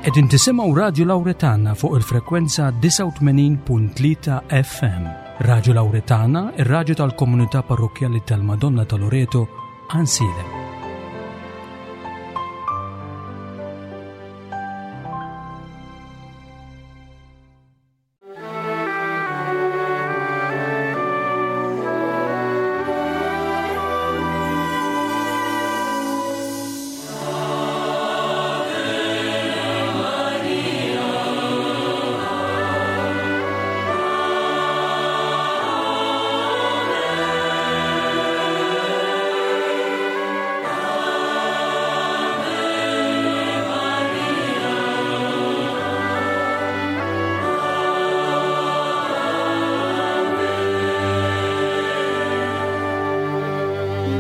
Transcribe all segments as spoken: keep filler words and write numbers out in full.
Qegħdin tisimgħu Radju Lawretana fuq il-frekwenza disgħa u tmenin punt tlieta F M. Radju Lawretana, ir-radju tal-Komunità Parrokkjali tal-Madonna ta' Loreto, Għajnsielem.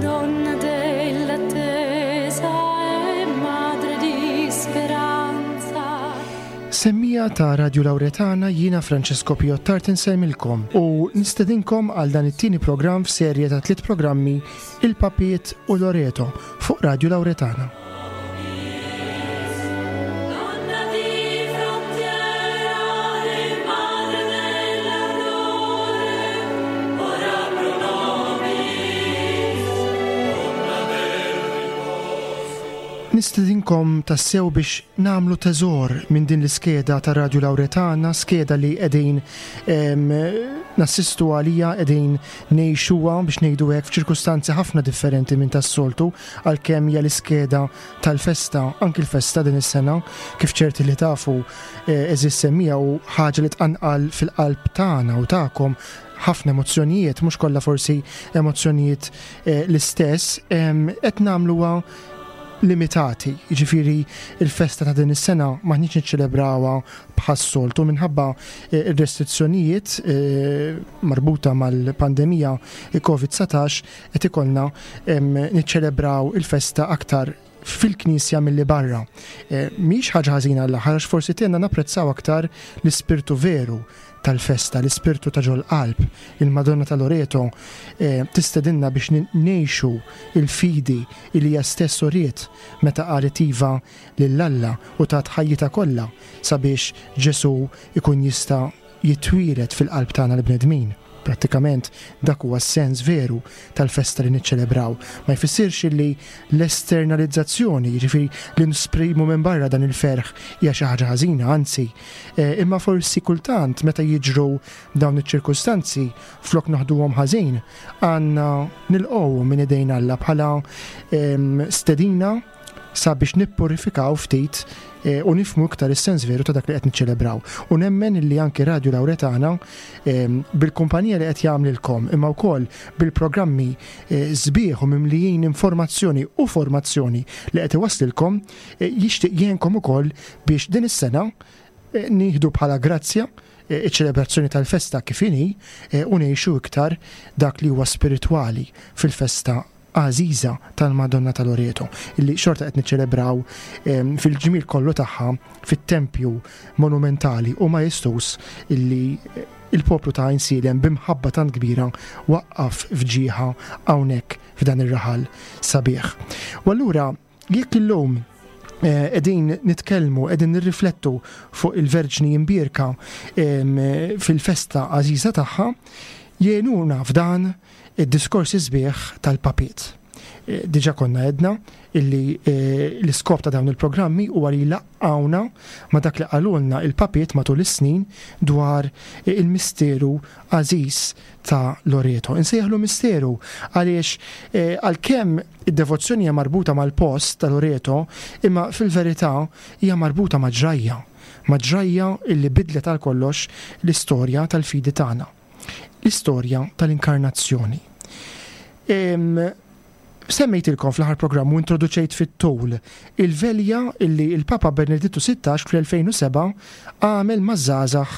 Donna dell'attesa e madre di speranza. Semmiegħa ta' Radio Lauretana, jiena Francesco Piottart insellmilkom u nistedinkom għal dan it-tieni programm f'serje ta' tliet programmi, Il-Papiet u Loreto, fuq Radio Lauretana. Donna di frontiera e madre dell'aurore, ora pro nobis. Nistedinkom tassew biex nagħmlu teżor minn din l-iskeda ta' Radio Lauretana, skeda li qegħdin em, nassistu għalija, qegħdin ngħixuha, biex ngħidu hekk, f'ċirkustanzi ħafna differenti minn tas-soltu, għalkemm hija l-iskeda tal-festa, anki l-festa din is-sena, kif ċerti li tafu, eh, għeżież semmiegħa, u ħaġa li tqanqal fil-qalb tagħna u tagħkom ħafna emozzjonijiet, mhux kollha forsi emozzjonijiet eh, l-istess, em, qed nagħmluha limitati, jiġifieri il-festa ta' din is-sena m'aħniex niċċelebrawha bħas-soltu minħabba eh, ir-restrizzjonijiet eh, marbuta mal-pandemija COVID dsatax. Qed ikollna em, niċċelebraw il-festa aktar fil-knisja milli barra. Eh, Mhix ħaġa ħażina għall-aħħar, għax forsi tgħinna napprezzaw aktar l-ispirtu veru tal-festa, l-ispirtu ta' ġol-qalb. Il-Madonna ta' Loreto eh, tistedinna biex ngħixu il-fidi li hija stess uriet meta qalet iva lil Alla u tat ħajjitha kollha sabiex Ġesu ikun jista' jitwieled fil-qalb tagħna l-bnedmin. Prattikament dak huwa s-sens veru tal-festa li niċċelebraw. Ma jfissirx li l-esternalizzazzjoni, jiġifieri li nesprimu minn barra dan il-ferħ, hija xi ħaġa ħażina, anzi, eh, imma forsi kultant meta jiġru dawn iċ-ċirkustanzi, flok naħduhom ħażin, għandna nilqgħu minn idejn Alla bħala em, stedina sabiex nippurifikaw ftit eh, u nifhmu iktar is-sens veru ta' dak li qed niċċelebraw. U nemmen li anki Radio Lauretana eh, bil-kumpanija li qed jagħmlilkom, imma wkoll bil-programmi eh, sbieħ u mimlijin informazzjoni u formazzjoni li qed iwaslilkom, eh, jixtieq jgħinkom ukoll biex din is-sena eh, nieħdu bħala grazzja eh, iċ-ċelebrazzjoni tal-festa kif inhi eh, u ngħixu iktar dak li huwa spiritwali fil-festa għażiża tal-Madonna ta' Loreto, illi xorta qed niċċelebraw em, fil-ġmil kollu tagħha fit-tempju monumentali u majestuż illi eh, il-poplu ta' Għajnsielem b'imħabba tant kbira waqqaf f'ġieħha hawnhekk f'dan ir-raħal sabiħ. U allura jekk illum eh, qegħdin nitkellmu, qegħdin nirriflettu fuq il-Verġni Imbierka em, fil-festa għażiża tagħha, jgħinuna f'dan id-diskorsi sbieħ tal-papiet. Eh, Diġa konna għedna illi eh, l-iskop ta' dawn il-programmi huwa li jlaqqgħuna ma' dak li qalulna il-papiet matul is-snin dwar eh, il-misteru għażiż ta' Loreto. Insejjaħlu misteru għaliex eh, għalkemm id-devozzjoni hija marbuta mal-post ta' Loreto, imma fil-verità hija marbuta ma' ġrajja, ma' ġrajja illi bidlet għal kollox l-istorja tal-fidi tagħna, l-istorja tal-inkarnazzjoni. Em, Semmejtilkom fl-aħħar programm u introduċejt fit-tul il-velja illi il-Papa Benedittu Sittax fl-elfejn u sebgħa għamel maż-żgħażagħ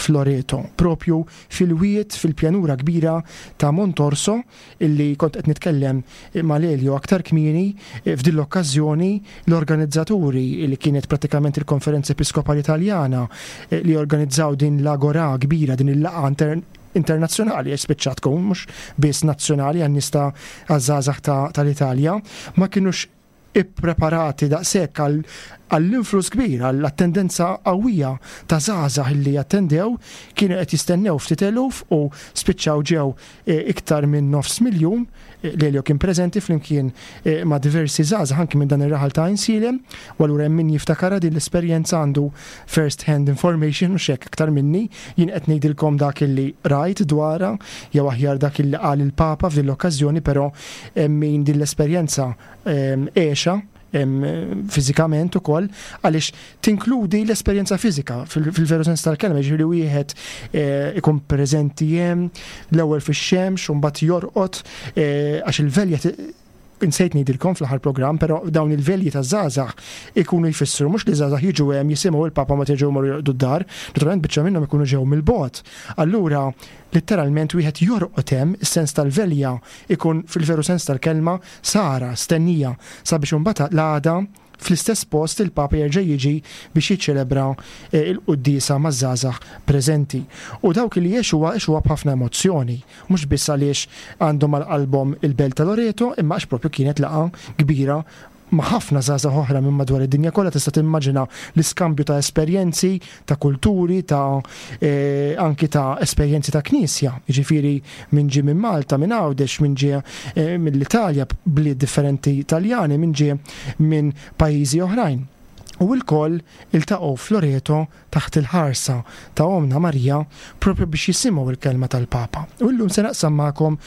f'Loreto, propju fil-wiet fil-pjanura kbira ta' Montorso, illi kont qed nitkellem ma' Lelio aktar kmieni. F'din l-okkażjoni l-organizzaturi, li kienet pratikament il-Konferenza Episkopali Italjana eh, li organizzaw din l-agora kbira, din il-laqgħa inter internazzjonali, spiċċat tkun mhux biss nazzjonali għan-nies ta' għaż-żgħażagħ tal-Italja, ma kienux ippreparati daqshekk għal Għall-influss kbir, għall-attendenza qawwija ta' żgħażagħ li attendew, kienu qed jistennew ftit eluf u spiċċaw ġew iktar minn nofs miljun. Lelio kien preżenti flimkien ma' diversi żgħażagħ anki minn dan ir-raħal ta' Għajnsielem, u allura hemm min jiftakarha din l-esperjenza, għandu first hand information u xek iktar minni. Jien qed ngħidilkom dak illi rajt dwarha, jew aħjar dak illi qal il-Papa f'din l-okkażjoni, però hemm min din l-esperjenza għexha fiżikament ukoll, għaliex tinkludi l-esperjenza fiżika fil-veru sens tal-kelma, ġifieri wieħed ikun preżenti hemm l-ewwel fix-xemx u mbagħad jorqod, għax il-velja, insejt ngħidilkom fl-aħħar programm, però dawn il-velji ta' żgħażagħ ikunu jfissru mhux li żgħażagħ jiġu hemm, jisimgħu il-Papa, ma terġgħu morru jorqdu d-dar, naturalment biċċa minnhom ikunu ġew mill-bogħod. Allura letteralment wieħed jorqod hemm, is-sens tal-velja ikun fil-veru sens tal-kelma sara, stennija, sabiex imbagħad l-għada fl-istess post il-Papa jerġa' jiġi biex jiċċelebra il-quddiesa maż-żgħażagħ preżenti. U dawk li għexuha, għexuha b'ħafna emozzjoni, mhux biss għaliex għandhom għal qalbhom il-belt ta' Loreto, imma għax propju kienet laqgħa kbira ma' ħafna żgħażagħ oħra minn madwar id-dinja kollha. Tista' timmaġina l-iskambju ta' esperjenzi, ta' kulturi, ta' eh, anki ta' esperjenzi ta' knisja. Jiġifieri min ġie minn Malta, minn Għawdex, min ġie eh, mill-Italja, bliet differenti Italjani, min ġie minn pajjiżi oħrajn. U l-koll iltaqgħu f'Loreto taħt il-ħarsa ta' Omna Marija propju biex jisimgħu il-kelma tal-Papa. U llum se naqsam magħkom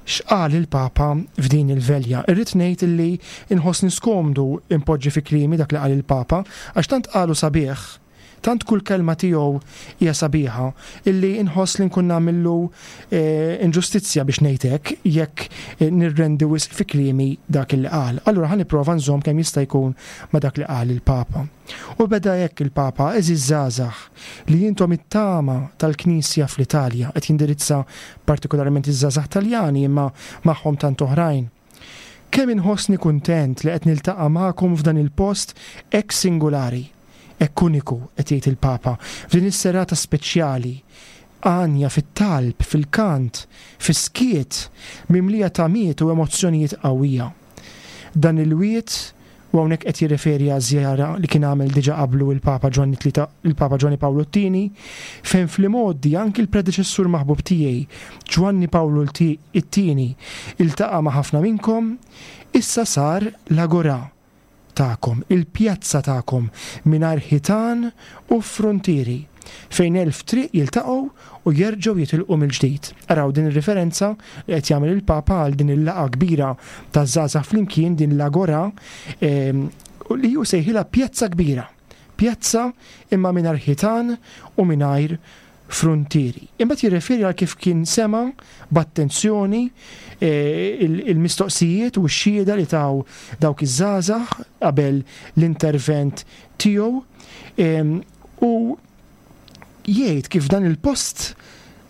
x'qal il-Papa f'din il-velja. Irrid ngħid illi inħossni skomdu impoġġi fi kliemi dak li qal il-Papa, għax tant qalu sabiħ, tant kull kelma tiegħu hija sabiħa, illi inħoss li nkun nagħmillu eh, inġustizzja biex ngħid hekk jekk eh, nirrendi wisq fi kliemi dak li qal. Allura ħa nipprova nżomm kemm jista' jkun ma' dak li qal il-Papa. U beda hekk il-Papa: "Għeżież żgħażagħ li intom it-tama tal-Knisja fl-Italja", qed jindirizza partikolarment iż-żgħażagħ Taljani imma magħhom tant oħrajn. "Kemm inħossni kuntent li qed niltaqa' magħkom f'dan il-post hekk singolari, hekk uniku", qed jgħid il-Papa, "f'din is-serata speċjali, għanja fit-talb, fil-kant, fis-skiet, mimlija tamiet u emozzjonijiet qawwija. Dan il-wied", u hawnhekk qed jirreferi għaż-żjara li kien għamel diġà qablu il-Papa Ġwanni Tlieta, il-Papa Ġwanni Pawlu t-Tieni, "fejn fl-imgħoddi anki l-predeċessur maħbub tiegħi Ġwanni Pawlu t-Tieni iltaqa' ma' ħafna minnkom, issa sar l-agora tagħkom, il-pjazza tagħkom mingħajr ħitan u frontieri, fejn elf triq jiltaqgħu u jerġgħu jitilqu mill-ġdid." Araw din ir-referenza li qed jagħmel il-Papa għal din il-laqgħa kbira ta' żgħażagħ flimkien, din l-agora ehm, li hu sejħilha pjazza kbira. Pjazza imma mingħajr ħitan u mingħajr frontieri. Imbagħad jirreferi għal kif kien sema b'attenzjoni eh, il-mistoqsijiet u x-xhieda li taw dawk iż-żgħażagħ qabel l-intervent tiegħu ehm, u jgħid kif dan il-post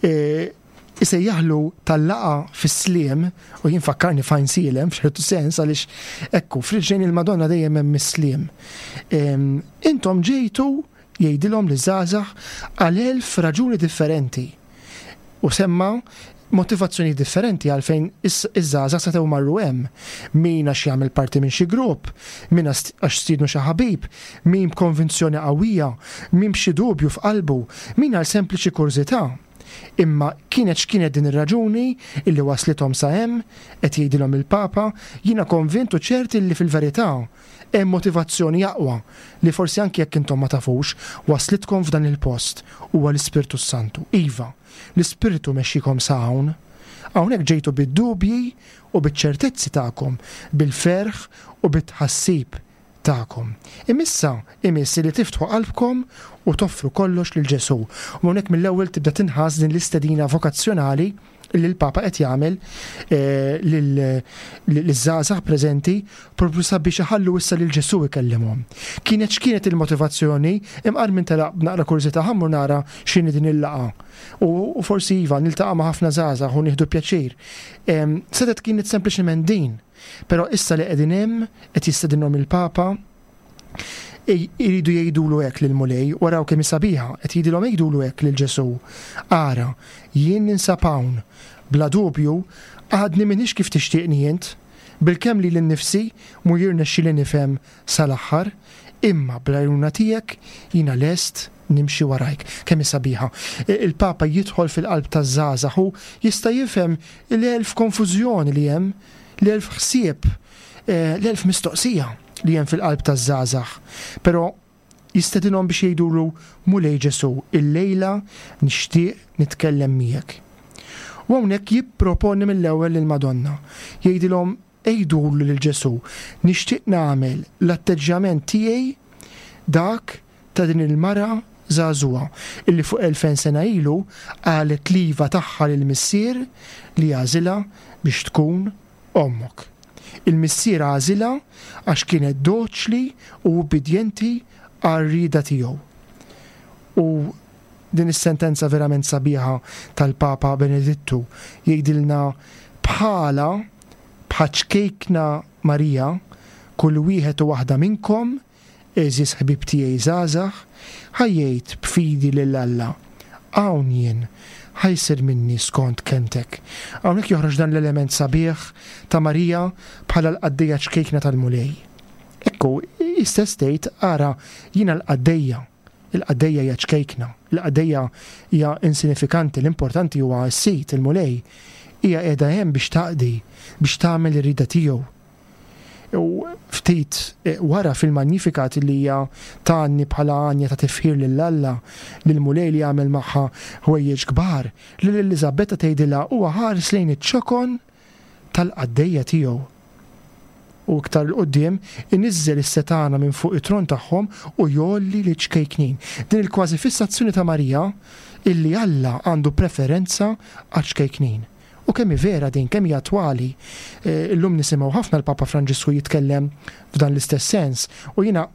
eh, isejjaħlu tal-laqgħa fis-sliem, u jien fakkarni f'Għajnsielem f'ċertu sens, għaliex ekku f'riġlejn il-Madonna dejjem hemm is-sliem. Ehm, intom ġejtu, jgħidilhom liż-żgħażagħ, għal elf raġuni differenti. U semma motivazzjoni differenti għalfejn iż-żgħażagħ setgħu marru hemm. Min għax jagħmel parti minn xi grupp, min għax stiednu xi ħabib, min b'konvinzjoni qawwija, min b'xi dubju f'qalbu, min għal sempliċi kurżità. Imma kienet x'kienet din ir-raġuni illi waslithom sa hemm, qed jgħidilhom il-Papa, "jiena konvint u ċert illi fil-verità hemm motivazzjoni aqwa li forsi anki jekk intom ma tafux waslitkom f'dan il-post, huwa l-Ispirtu Santu. Iva, l-Ispirtu mexxikom sa hawn. Hawnhekk ġejtu bid-dubji u biċ-ċertezzi tagħkom, bil-ferħ u bit-tħassib tagħkom. Imissa imiss li tiftħu qalbkom u toffru kollox lil Ġesù." U hawnhekk mill-ewwel tibda tinħass din l-istedina vokazzjonali li l-Papa qed jagħmel eh, liż-żgħażagħ preżenti propju sabiex iħallu issa lil Ġesù ikellimhom. Kienet x'kienet il-motivazzjoni, imqar minn telaq b'naqra kurżità, ħa mmur nara x'inhi din il-laqgħa. U forsi iva niltaqa' ma' ħafna żgħażagħ u nieħdu pjaċir. Setgħet kienet sempliċement din. Però issa li qegħdin hemm, qed jistedinhom il-Papa, iridu jgħidulu hekk lill-Mulej, waraw kemm sabiħa, qed jgħidilhom jgħidulu hekk lil Ġesù: "Ara, jien ninsab hawn, bla dubju għadni m'iniex kif tixtieqni int, bilkemm lili nnifsi mu jirnexxi li nifhem sal-aħħar, Imma bl-għajnuna tiegħek jiena lest nimxi warajk. Kemm hi sabiħa. Il-Papa jidħol fil-qalb taż-żgħażagħ u jista' jifhem l-elf konfużjoni li hemm, l-elf ħsieb, l-elf mistoqsija li hemm fil-qalb taż-żgħażagħ. Però jistedinhom biex jgħidulu, Mulej Ġesù, illejla nixtieq nitkellem miegħek. U hawnhekk jipproponi mill-ewwel lill-Madonna. Jgħidilhom, għidulu lil Ġesù, nixtieq nagħmel l-atteġġjament tiegħi dak ta' din il-mara żagħżugħa illi fuq elfejn sena ilu qalet l-iva tagħha lill-Missier li għażilha biex tkun ommok. Il-Missier għażilha għax kienet doċli u ubbidjenti għar-rieda tiegħu. U din is-sentenza verament sabiħa tal-Papa Benedittu jgħidilna bħala bħaċ-ċkejkna Marija, kull wieħed u waħda minnkom, għeżież ħbieb tiegħi żgħażagħ, ħa jgħid b'fidi lil Alla, hawn jien, ħa jsir minni skont kelmtek. Hawnhekk joħroġ dan l-element sabiħ ta' Marija bħala l-qaddejja ċkejkna tal-Mulej. Ekku, istess tgħid, ara, jiena l-qaddejja. Il-qaddejja hija ċkejkna, il-qaddejja hija insinifikanti, l-importanti huwa s-Sid, il-Mulej. Hija qiegħda hemm biex taqdi, biex tagħmel ir-rieda tiegħu. U ftit wara fil-Magnificat li hija tgħanni bħala għanja ta' tifħir lil Alla, lill-Mulej li għamel magħha ħwejjeġ kbar, lil Eliżabetta tgħidilha huwa ħares lejn iċ-ċokon tal-qaddejja tiegħu. U iktar 'l quddiem iniżżel is-setana minn fuq it-tron tagħhom u jgħolli li ċkejknin. Din il-kważi fissazzjoni ta' Marija illi Alla għandu preferenza għaċ-ċkejknin. U kemm hi vera din, kemm hi attwali. Illum nisimgħu ħafna l-Papa Franġisku jitkellem f'dan l-istess sens. U jiena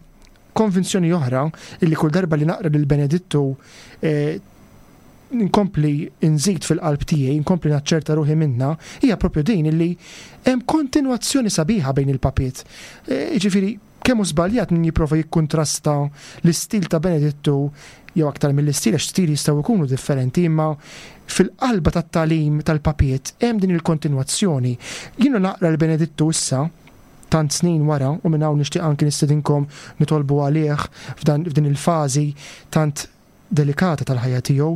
konvinzjoni oħra illi kull darba li naqra lil Benedittu nkompli nżid fil-qalb tiegħi, nkompli naċċerta ruħi minna, hija propju din illi hemm kontinwazzjoni sabiħa bejn il-papiet. Jiġifieri kemm hu żbaljat min jipprova jikkuntrasta l-istil ta' Benedittu jew aktar mill-istil, għax stili jistgħu jkunu differenti, imma fil-qalba tat-tagħlim tal-papiet hemm din il-kontinwazzjoni. Jiena naqra l-Benedittu issa tant snin wara, u minn hawn nixtieq anki nistedinkom nitolbu għalih f'dan, f'din il-fażi tant delikata tal-ħajja tiegħu,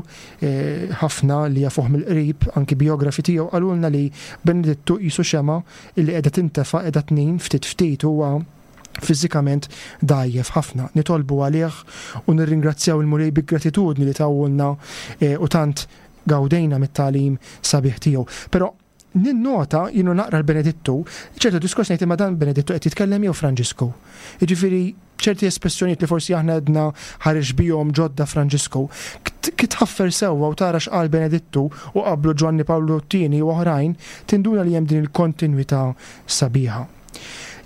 ħafna li jafuh mill-qrib, anki biografi tiegħu qalulna li Benedittu qisu xema illi qiegħda tintefa' qiegħda tnin ftit ftit, huwa fiżikament dgħajjef ħafna. Nitolbu għalih u nirringrazzjaw il-Mulej bi gratitudni li tawulna u tant gawdejna mit-tagħlim sabiħ tiegħu. Però ninnota, jienu naqra l-Benedittu, ċertu diskors ngħid imma dan Benedittu qed jitkellem jew Franġisku. Jiġifieri ċerti espressjonijiet li forsi aħna għedna ħareġ bihom ġodda Franġisku, kif tħaffer sewwa u tara x'qal Benedittu u qablu Ġwanni Pawlu t-tieni u oħrajn, tinduna li hemm din il-kontinwità sabiħa.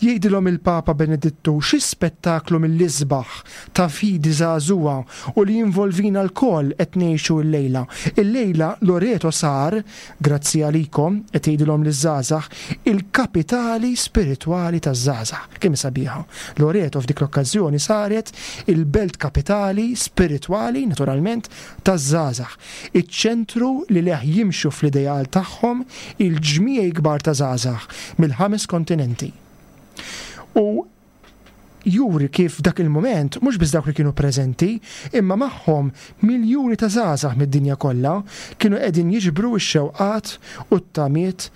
Jgħidilhom il-Papa Benedittu xi spettaklu mill-isbaħ ta' fidi żagħżugħa u li jinvolvina lkoll qed ngħixu llejla. Illejla Loreto sar, grazzi għalikom, qed jgħidilhom liż-żgħażagħ, il-kapitali spiritwali taż-żgħażagħ. Kemm sabiħa. Loreto f'dik l-okkażjoni saret il-belt kapitali spiritwali, naturalment, taż-żgħażagħ. Iċ-ċentru li leħ jimxu fl-ideal tagħhom il-ġmiegħi kbar ta' żgħażagħ mill-ħames kontinenti. U juri kif dak il-moment, mhux biss dawk li kienu preżenti, imma magħhom miljuni ta' żgħażagħ mid-dinja kollha kienu qegħdin jiġbru x-xewqat u t-tamiet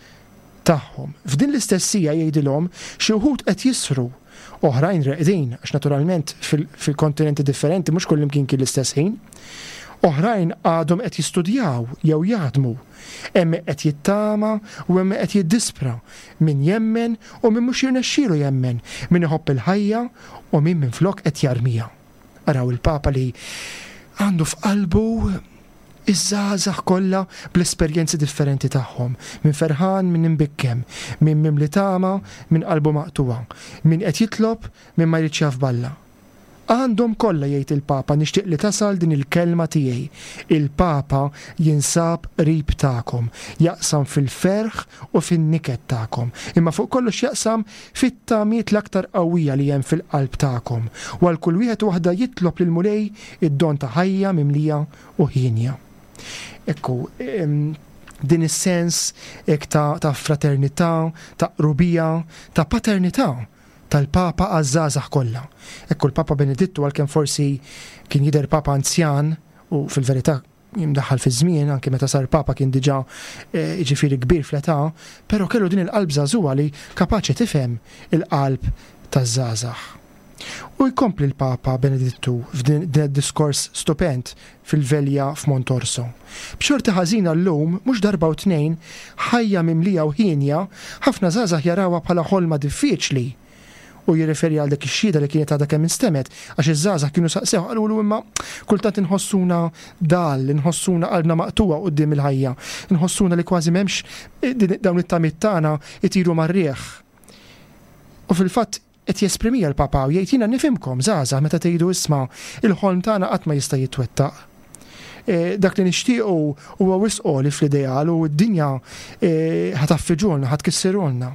tagħhom. F'din l-istessija jgħidilhom xi wħud qed jisru, oħrajn reqdin, għax naturalment fil-, fil-kontinenti differenti mhux kullimkien kien l-istess ħin. Oħrajn għadhom qed jistudjaw jew jaħdmu. Hemm qed jittama u hemm qed jiddispra, min jemmen u min mhux jirnexxielu jemmen, min iħobb il-ħajja u min minflok qed jarmija. Araw il-Papa li għandu f'qalbu iż-żgħażagħ kollha bl-esperjenzi differenti tagħhom, min ferħan, min imbikkem, min mimli tama, min qalbu maqtuwa, min qed jitlob, min ma jridx jaf b'Alla. Għandhom kollha, jgħid il-Papa, nixtieq li tasal din il-kelma tiegħi. Il-Papa jinsab qrib tagħkom, jaqsam fil-ferħ u fin-niket tagħkom, imma fuq kollox jaqsam fit-tamiet l-aktar qawwija li hemm fil-qalb tagħkom. U għal kull wieħed u waħda jitlob lil Mulej id-don ta' ħajja mimlija u ħienja. Ekku, em, din is-sens ek ta', ta' fraternità, ta' qrubija, ta' paternità. tal-Papa għaż-żgħażagħ kollha. Ekku l-Papa Benedittu, għalkemm forsi kien jidher Papa anzjan, u fil-verità jimdaħħal fi żmien, anke meta sar Papa kien diġà eh, jiġifieri kbir fl-età, però kellu din il-qalb żagħżugħa li kapaċi tifhem il-qalb taż-żgħażagħ. U jkompli l-Papa Benedittu f'din id-diskors stupend fil-velja f'Montorso. B'xorti ħażina llum, mhux darba u tnejn, ħajja mimlija u hienja, ħafna żgħażagħ jarawha bħala ħolma diffiċli. U jirreferi għal dik ix-xhieda li kienet għadha kemm instemgħet, għax iż-żgħażagħ kienu saqsew, qalulu imma kultant inħossuna dal, inħossuna qalbna maqtugħa quddiem il-ħajja, inħossuna li kważi m'hemmx dawn it-tamiet tagħna itiru mar-riħ. U fil-fatt qed jesprimija l-Papa u jgħid jiena nifhimkom żgħażagħ meta tgħidu isma' il-ħolm tagħna qatt ma jista' jitwettaq. E, dak li nixtiequ huwa wisq għoli fl-ideal u d-dinja e, ħa tgħaffiġulna, ħa tkissirulna.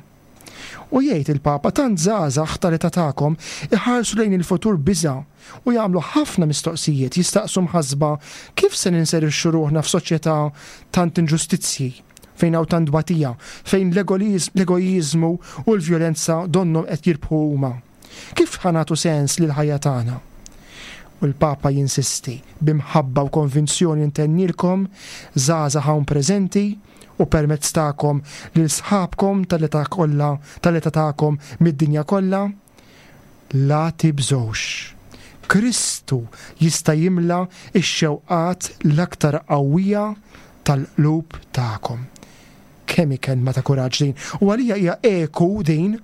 U jgħid il-Papa tant żgħażagħ tal-età tagħkom iħarsu lejn il-futur biża' u jagħmlu ħafna mistoqsijiet, jistaqsu mħasba kif se ninserixxu ruħna f'soċjetà tant inġustizzji, fejn hawn tant tbatija, fejn l-egoiżmu u l-vjolenza donnhom qed jirbħu huma. Kif ħa nagħtu sens lil ħajja tagħna? U l-Papa jinsisti b'imħabba u konvinzjoni ntennilkom żgħażagħ hawn preżenti u permezz tagħkom lil sħabkom tal-età kollha, tal-età tagħkom mid-dinja kollha, la tibżgħux. Kristu jista' jimla x-xewqat l-aktar qawwija tal-qlub tagħkom. Kemm hi kelma ta' kuraġġ din. U għalija hija eku din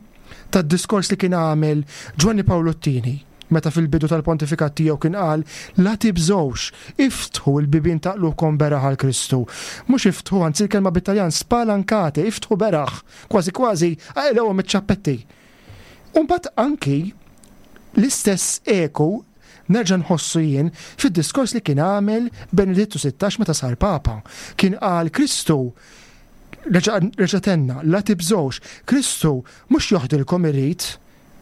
tad-diskors li kien għamel Ġwanni Pawlu t-Tieni meta fil-bidu tal-pontifikat tiegħu kien qal la tibżgħux, iftħu l-bibien ta' qlubkom beraħ għal Kristu. Mhux iftħu, anzi l-kelma bit-Taljan spalancate, iftħu beraħ, kważi kważi aqilgħuhom iċ-ċappetti. U mbagħad anki l-istess eku nerġa' nħossu jien fid-diskors li kien għamel Benedittu sittax meta sar Papa. Kien qal Kristu reġa' tenna, la tibżgħux, Kristu mhux joħdilkom irid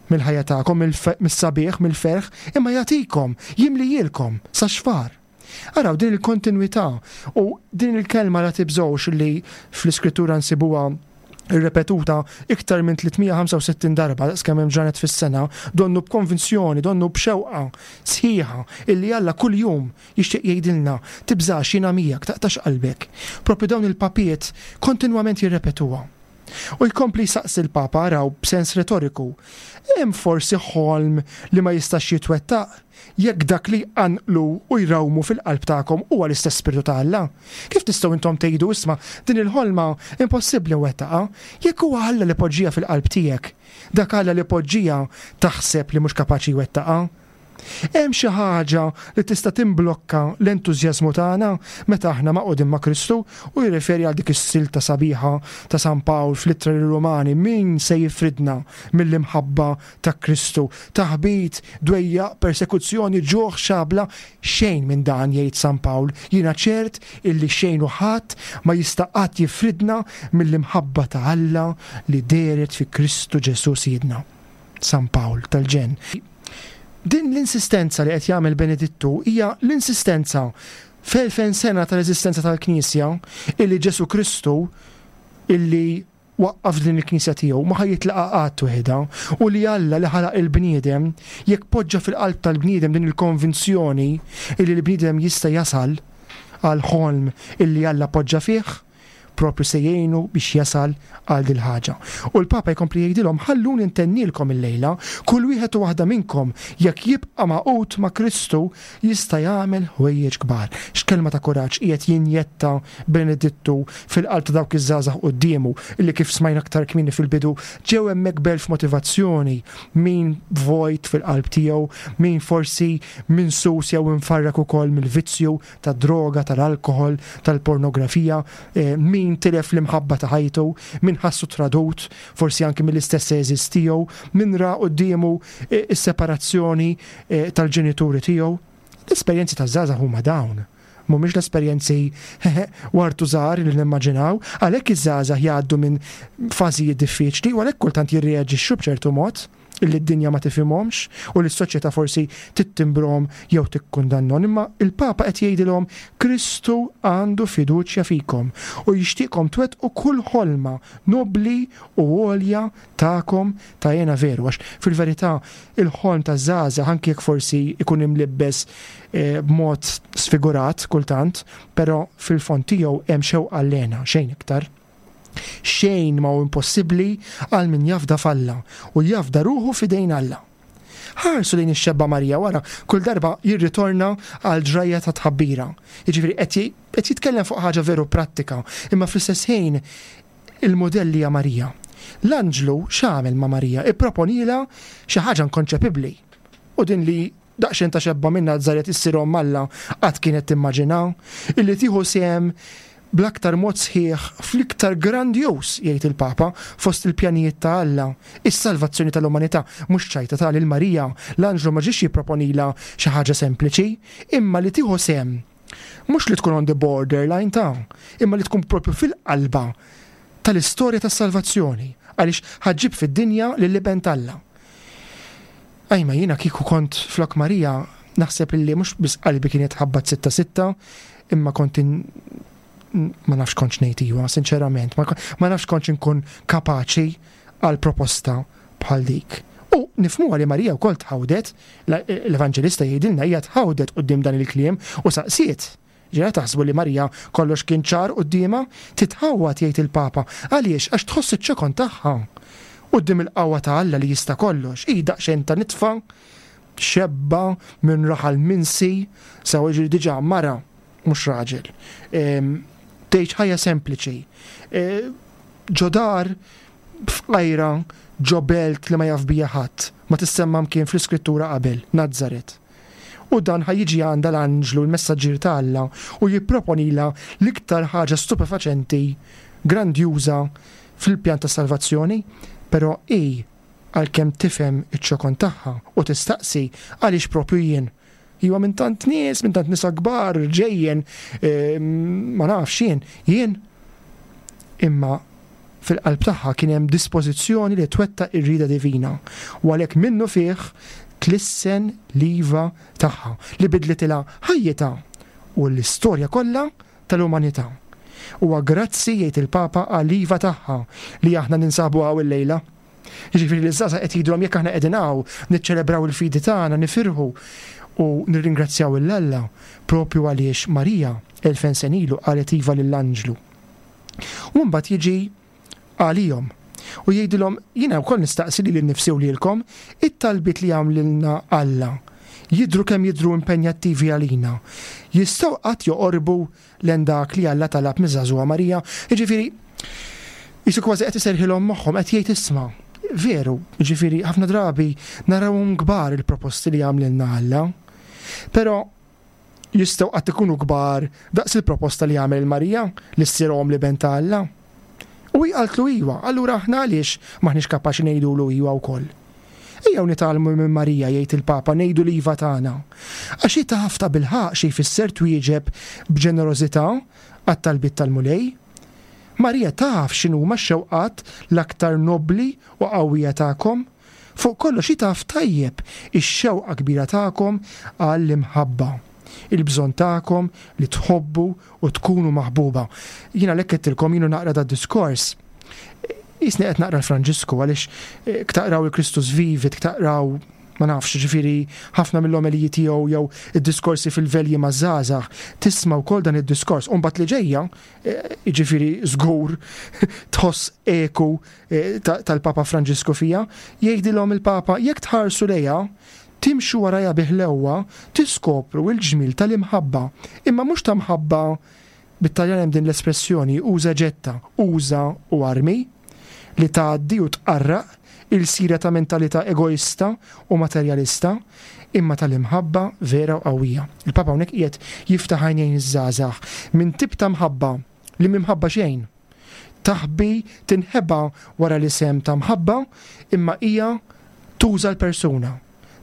mill-ħajja tagħkom, mis-sabiħ, mill-ferħ, imma jagħtikom, jimlijilkom sa xfar. Araw din il-kontinwità u din il-kelma la tibżgħux li fl-iskrittura nsibuha irrepetuta iktar minn tliet mija ħamsa u sittin darba daqs kemm hemm ġranet fis-sena, donnu b'konvinzjoni, donnu b'xewqa sħiħa illi Alla kuljum jixtieq jgħidilna tibżax, jiena miegħek, taqtax qalbek. Propju dawn il-papiet kontinwament jirrepetuha. U jkompli saqsi l-Papa, araw, b'sens retoriku, hemm forsi ħolm li ma jistax jitwettaq jekk dak li jqanqlu u jrawmu fil-qalb tagħkom huwa l-istess Spiritu ta' Alla? Kif tistgħu intom tgħidu isma' din il-ħolma impossibbli nwettaqha jekk huwa Alla li poġġija fil-qalb tiegħek? Dak Alla li poġġija taħseb li mhux kapaċi jwettaqha? Hemm xi ħaġa li tista' timblokka l-entużjażmu tagħna meta aħna maqgħudin ma' Kristu? U jirreferi għal dik is-silta sabiħa ta' San Pawl fl-Ittra lir-Rumani, min se jifridna mill-imħabba ta' Kristu? Taħbit, dwejjaq, persekuzzjoni, ġuħ, xabla, xejn minn dan, jgħid San Pawl. Jiena ċert illi xejn u ħadd ma jista' qatt jifridna mill-imħabba ta' Alla li dehret fi Kristu Ġesu Sidna. San Pawl tal-ġenn. Din l-insistenza li qed jagħmel Benedittu hija l-insistenza f'elfejn sena tal-eżistenza tal-Knisja illi Ġesu Kristu illi waqqaf din il-Knisja tiegħu ma ħa jitlaqha qatt waħedha, u li Alla li ħalaq il-bniedem jekk poġġa fil-qalb tal-bniedem din il-konvinzjoni illi l-bniedem jista' jasal għal ħolm illi Alla poġġa fih, propju se jgħinu biex jasal għal dil ħaġa. U l-Papa jkompli jgħidilhom, ħalluni ntennilkom illejla, kull wieħed u waħda minnkom jekk jibqa' magħqud ma' Kristu jista' jagħmel ħwejjeġ kbar. X'kelma ta' kuraġġ qiegħed jinjetta Benedittu fil-qalb ta' dawk iż-żgħażagħ quddiemu illi kif smajna aktar kmieni fil-bidu ġew hemmhekk b'elf motivazzjoni, min vojt fil-qalb tiegħu, min forsi minsus jew infarrak ukoll mill-vizzju tad-droga, tal-alkohol, tal-pornografija, eh, min tilef l-imħabba ta' ħajtu, min ħassu tradut, forsi anki mill-istess għeżież tiegħu, min ra quddiemu, eh, is-separazzjoni, eh, tal-ġenituri tiegħu. L-esperjenzi taż-żgħażagħ huma dawn. Mhumiex l-esperjenzi wartu żgħar li nimmaġinaw, għalhekk iż-żgħażagħ jgħaddu minn fażijiet diffiċli u għalhekk kultant jirreaġixxu b'ċertu mod. Illi d-dinja ma tifhimhomx u li s-soċjetà forsi tittimbrhom jew tikkundannhom, imma il-Papa qed jgħidilhom Kristu għandu fiduċja fikom u jixtieqkom twettqu kull ħolma nobli u għolja tagħkom ta' hena veru, għax fil-verità il-ħolm ta' żgħażagħ anke jekk forsi ikun imlibbes eh, b'mod sfigurat kultant, però fil-fond tiegħu hemm xewqa għall-hena, xejn iktar. Xejn ma hu impossibbli għal min jafda f'Alla u jafda ruħu f'idejn Alla. Ħarsu lejn ix-xebba Marija wara kull darba jirritorna għal ġrajja ta' tħabbira. Jiġifieri qed j-, qed jitkellem fuq ħaġa veru prattika, imma fl-istess ħin il-modell hija Marija. L-anġlu x'għamel ma' Marija? Ipproponila xi ħaġa inkonċepibbli. U din li daqsxejn ta' xebba minn Nazaret issir omm Alla qatt kienet timmaġina, illi tieħu sehem bl-aktar mod sħiħ fl-iktar grandjus, jgħid il-Papa, fost il-pjanijiet ta' Alla, is-salvazzjoni tal-umanità. Mhux ċajta ta' lil Marija, l-anġlu ma ġiex jipproponila xi ħaġa sempliċi, imma li tieħu sehem. Mhux li tkun on the borderline ta', imma li tkun propju fil-qalba tal-istorja tas-salvazzjoni, għaliex ħaġġib fid-dinja lill-Iben t'Alla. Ajma, jiena kieku kont flok Marija, naħseb illi mhux biss qalbi kienet ħabbat sitta sitta, imma kont in-, ma nafx kontx ngħid iwa, sinċerament, ma ko-, ma nafx kontx inkun kapaċi għal proposta bħal dik. U nifhmuha li Marija wkoll tħawdet, la-, l-Evanġelista jgħidilna hija tħawdet quddiem dan il-kliem u saqsiet. Ġera taħsbu li Marija kollox kien ċar quddiemha, titħawwad jgħid il-Papa. Għaliex? Għax tħoss iċ-ċokon tagħha. Quddiem il-qawwa ta' Alla li jista' kollox. Hi daqsxejn ta' nitfa, xebba minn raħal minsi, sewa ġiri diġà mara, mhux raġel. Em, tgħix ħajja sempliċi. E, ġodar f'qajra ġo belt li ma jaf bija ħadd, ma tissemma mkien fl-iskrittura qabel, Nazaret. U dan ħajjiġi għandha l-anġlu, l-messaġġier ta' Alla, u jipproponila l-iktar ħaġa stupefaċenti, grandjuża fil-pjan ta' salvazzjoni, però hi għalkemm tifhem iċ-ċokon tagħha u tistaqsi għaliex propju jien. Iwa minn tant nies, minn tant nisa kbar, ġejjen, eh, ma nafx jien, jien. Imma fil-qalb tagħha kien hemm dispożizzjoni li twettaq ir-rieda divina u għalhekk minnu fih tlissen l-iva tagħha li bidlitilha ħajjitha u l-istorja kollha tal-umanità. Huwa grazzi jgħid il-Papa għall-iva tagħha li aħna ninsabu hawn illejla. Jiġifieri li ż-żgħażagħ qed jgħidulhom jekk aħna qegħdin hawn niċċelebraw il-fidi tagħna, nifirħu u nirringrazzjaw lil Alla propju għaliex Marija elfejn sena ilu qalet iva lill-anġlu. U mbagħad jiġi għalihom u jgħidilhom jiena wkoll nistaqsi lili nnifsi u lilkom it-talbiet li għamlilna Alla jidhru kemm jidhru impenjattivi għalina. Jistgħu qatt joqorbu lejn dak li Alla talab miż-żagħżugħa Marija. Jiġifieri jisu kważi qed iserħilhom moħħhom qed jgħid isma' veru, jiġifieri ħafna drabi narawhom kbar il-proposti li għamlilna Alla. Però jistgħu qatt ikunu kbar daqs il-proposta li għamel Marija li ssir omm l-Iben ta' Alla. U hi qaltlu iwa, allura aħna għaliex m'aħniex kapaċi ngħidulu iwa wkoll. Ejjew nitgħallmu minn Marija, jgħid il-Papa, ngħidu l-iva tagħna. Għax hi taf ta' bilħaqq xi jfisser twieġeb b'ġenerożità għat-talbiet tal-Mulej. Marija taf x'inhuma x-xewqat l-aktar nobli u qawwija tagħkom. Fuq kollox hi taf tajjeb ix-xewqa kbira tagħkom għall-imħabba, il-bżonn tagħkom li tħobbu u tkunu maħbuba. Jiena lek qedtilkom jienu naqra da diskors. Jisni qed naqra l-Franġisku għaliex, eh, ktaqraw il-Christus Vivit, ktaqraw ma nafx, ġifieri ħafna mill-omeliji tiegħu jew id-diskorsi fil-velji maż-żgħażagħ, tisma' wkoll dan id-diskors. U mbagħad li ġejja, eh, ġifieri żgur tħoss eku, eh, ta-, tal-Papa Franġisku fija, jgħidilhom il-Papa jekk tħarsu lejha, timxu warajha biħlewwa, tiskopru l-ġmil tal-imħabba. Imma mhux ta' mħabba bit-Taljan hemm din l-espressjoni uża ġetta, uża u armi li tgħaddi u tqarraq il-sira ta' mentalità egoista u materjalista, imma tal-imħabba vera u qawwija. Il-Papa hawnhekk qiegħed jiftaħ għajnejn iż-żgħażagħ minn tip ta' mħabba li mimħabba xejn. Taħbi tinħeba wara l-isem ta' mħabba, imma hija tuża l-persuna.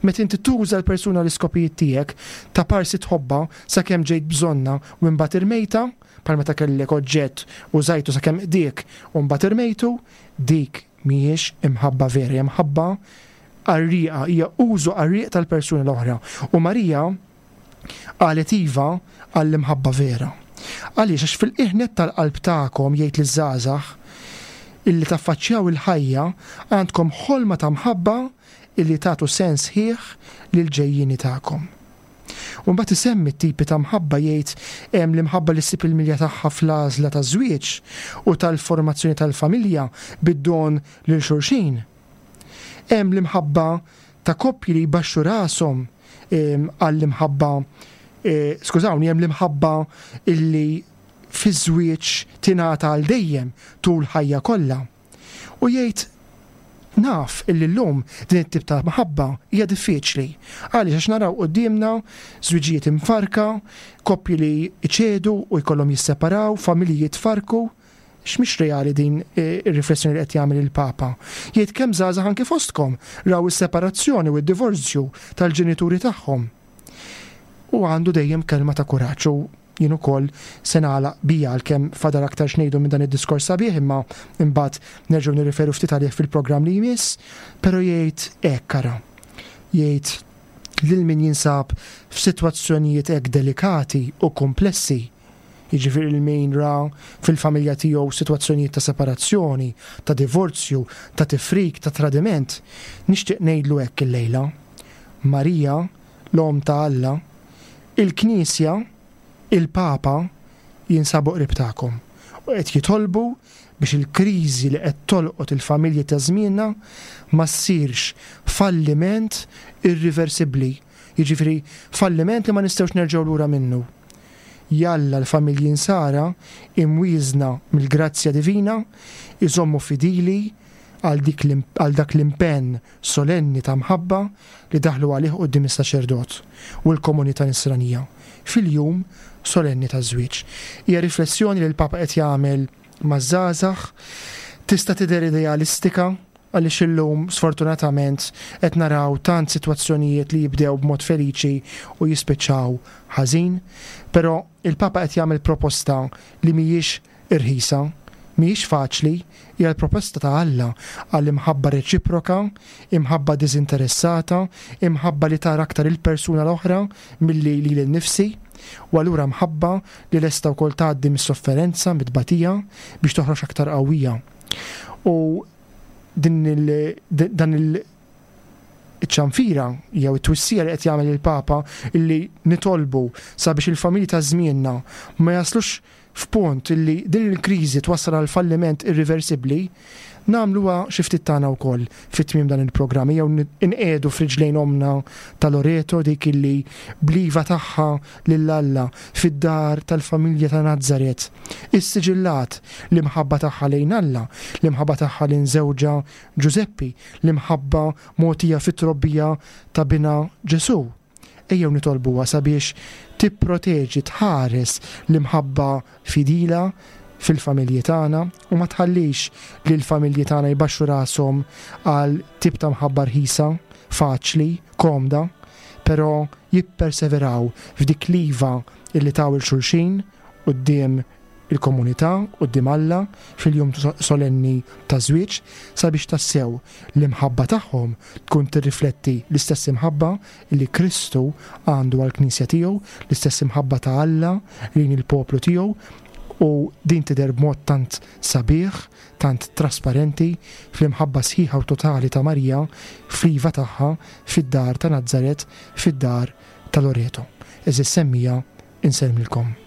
Meta inti tuża l-persuna l-iskopijiet tiegħek, ta' parsi tħobba sakemm ġejt bżonna u mbagħad irmejta, bħal meta kellek oġġett u żajtu sakemm qdiek u mbagħad irmejtu, dik mhijiex imħabba vera, hija mħabba qarrieqa, hija użu qarrieq tal-persuna l-oħra. U Marija qalet iva għall-imħabba vera. Għaliex? Għax fil-qiegħ tal-qalb tagħkom, jgħid liż-żgħażagħ, illi taffaċċjaw il-ħajja, għandkom ħolma ta' mħabba illi tagħtu sens ħieħ lil ġejjini tagħkom. U mbagħad isemmi t-tipi ta' mħabba, jgħid hemm l-imħabba li ssib il-milja tagħha fl-għażla ta' żwieġ u tal-formazzjoni tal-familja bid-don lil xulxin. Hemm l-imħabba ta' koppji li jbaxxu rashom għall-imħabba, e, skużawni, hemm l-imħabba illi fiż-żwieġ tingħata għal dejjem tul ħajja kollha. U jgħid, naf illi llum din it-tip ta' mħabba hija diffiċli. Għaliex? Għax naraw quddiemna żwiġijiet imfarka, koppji li iċedu u jkollhom jisseparaw, familji jitfarku. X'mhix reali din eh, ir-riflessjoni li qed jagħmel il-Papa. Jgħid kemm żgħażagħ anke fostkom raw is-separazzjoni u d-divorzju tal-ġenituri tagħhom. U għandu dejjem kelma ta' kuraġġ u jien ukoll se nagħlaq bija, għalkemm fadal aktar x'ngħidu minn dan id-diskors sabiħ, imma imbagħad nerġgħu nirriferu ftit għalih fil-programm li jmiss, però jgħid hekk, ara. Jgħid lil min jinsab f'sitwazzjonijiet hekk delikati u komplessi, jiġifieri lil min ra fil-familja tiegħu sitwazzjonijiet ta' separazzjoni, ta' divorzju, ta' tifrik, ta' tradiment, nixtieq ngħidlu hekk illejla. Marija, l-Omm ta' Alla, il-Knisja, il-Papa jinsabu qrib tagħkom u qed jitolbu biex il-kriżi li qed tolqot il-familji ta' żmienna ma ssirx falliment irriversibbli, jiġifieri falliment li ma nistgħux nerġgħu lura minnu. Jalla l-familji nsara imwieżna mill-grazzja divina iżommu fidili għal dik għal dak l-impenn solenni ta' mħabba li daħlu għalih quddiem is-saċerdot u l-komunità nisranija fil-jum solenni ta' żwieġ. Hija riflessjoni li l-Papa qed jagħmel maż-żgħażagħ, tista' tidher idealistika għaliex illum sfortunatament qed naraw tant sitwazzjonijiet li jibdew b'mod feliċi u jispiċċaw ħażin, però il-Papa qed jagħmel proposta li mhijiex irħisa, mhijiex faċli, hija l-proposta ta' Alla għall-imħabba reċiproka, imħabba diżinteressata, imħabba li tara aktar il-persuna l-oħra milli lili nnifsi, u allura mħabba li lesta wkoll tgħaddi mis-sofferenza, mit-tbatija biex toħroġ aktar qawwija. U din il-, dan il-, iċ-ċanfira jew it-twissija li qed jagħmel il-Papa illi nitolbu sabiex il-familji ta' żmienna ma jaslux f'punt illi din il-kriżi twassal għal falliment irriversibbli, nagħmluha xi ftit tagħna wkoll fit-tmiem dan il-programm, jew inqiegħdu f'riġlejn omna ta' Loreto, dik illi bliva tagħha lil Alla fid-dar tal-familja ta' Nazzaret, issiġillat l-imħabba tagħha lejn Alla, l-imħabba tagħha lejn żewġha Ġużeppi, l-imħabba mogħtija fit-trobbija ta' binha Ġesù. Ejjew nitolbuha sabiex tipproteġi, tħares l-imħabba fidila fil-familji tagħna u ma tħallix li l-familji tagħna jbaxxu rashom għal tip ta' mħabba rħisa, faċli, komda, però jipperseveraw f'dik l-iva illi taw il-xulxin quddiem il-komunità, quddiem Alla fil-jum solenni ta' żwieġ, sabiex tassew l-imħabba tagħhom tkun tirrifletti l-istess imħabba li Kristu għandu għall-Knisja tiegħu, l-istess imħabba ta' Alla lejn il-poplu tiegħu, u din tidher b'mod tant sabiħ, tant trasparenti fl-imħabba sħiħa u totali ta' Marija fl-iva tagħha fid-dar ta' Nazzaret, fid-dar ta' Loreto. Eżis semmija, insellmilkom. Amen.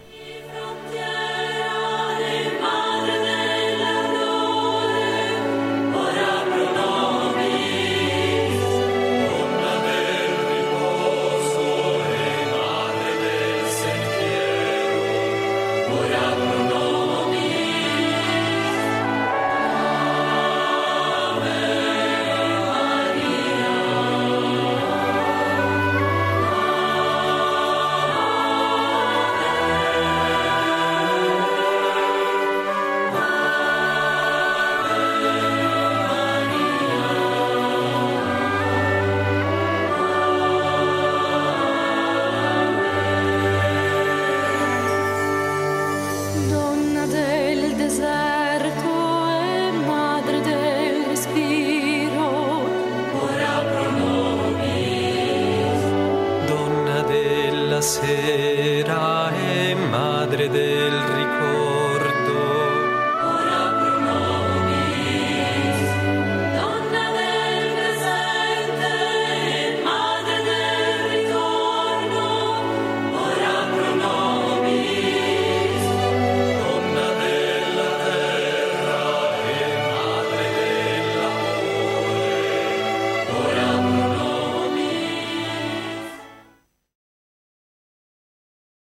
Sera.